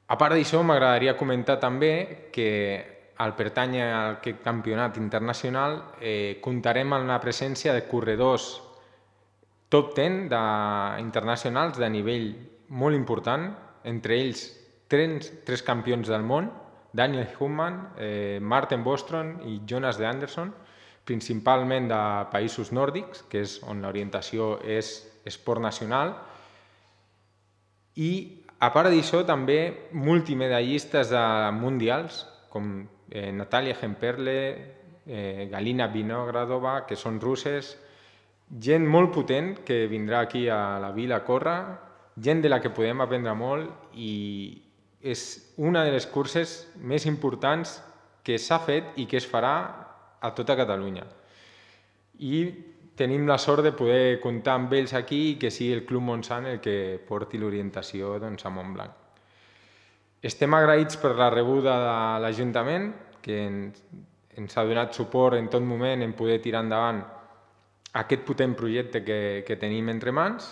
A part d'això, m'agradaria comentar també que al pertànyer a aquest campionat internacional comptarem amb la presència de corredors top 10 internacionals de nivell molt important, entre ells tres campions del món, Daniel Human, Martin Bostrom i Jonas de Anderson, principalment de països nòrdics, que és on l'orientació és esport nacional, i a part d'això també multimedallistes mundials com Natalia Gemperle, Galina Vinogradova, que són russes, gent molt potent que vindrà aquí a la vila a córrer, gent de la que podem aprendre molt i és una de les curses més importants que s'ha fet i que es farà a tota Catalunya. I tenim la sort de poder comptar amb ells aquí i que sigui el Club Montsant el que porti l'orientació a Montblanc. Estem agraïts per la rebuda de l'Ajuntament, que ens ha donat suport en tot moment en poder tirar endavant aquest potent projecte que tenim entre mans,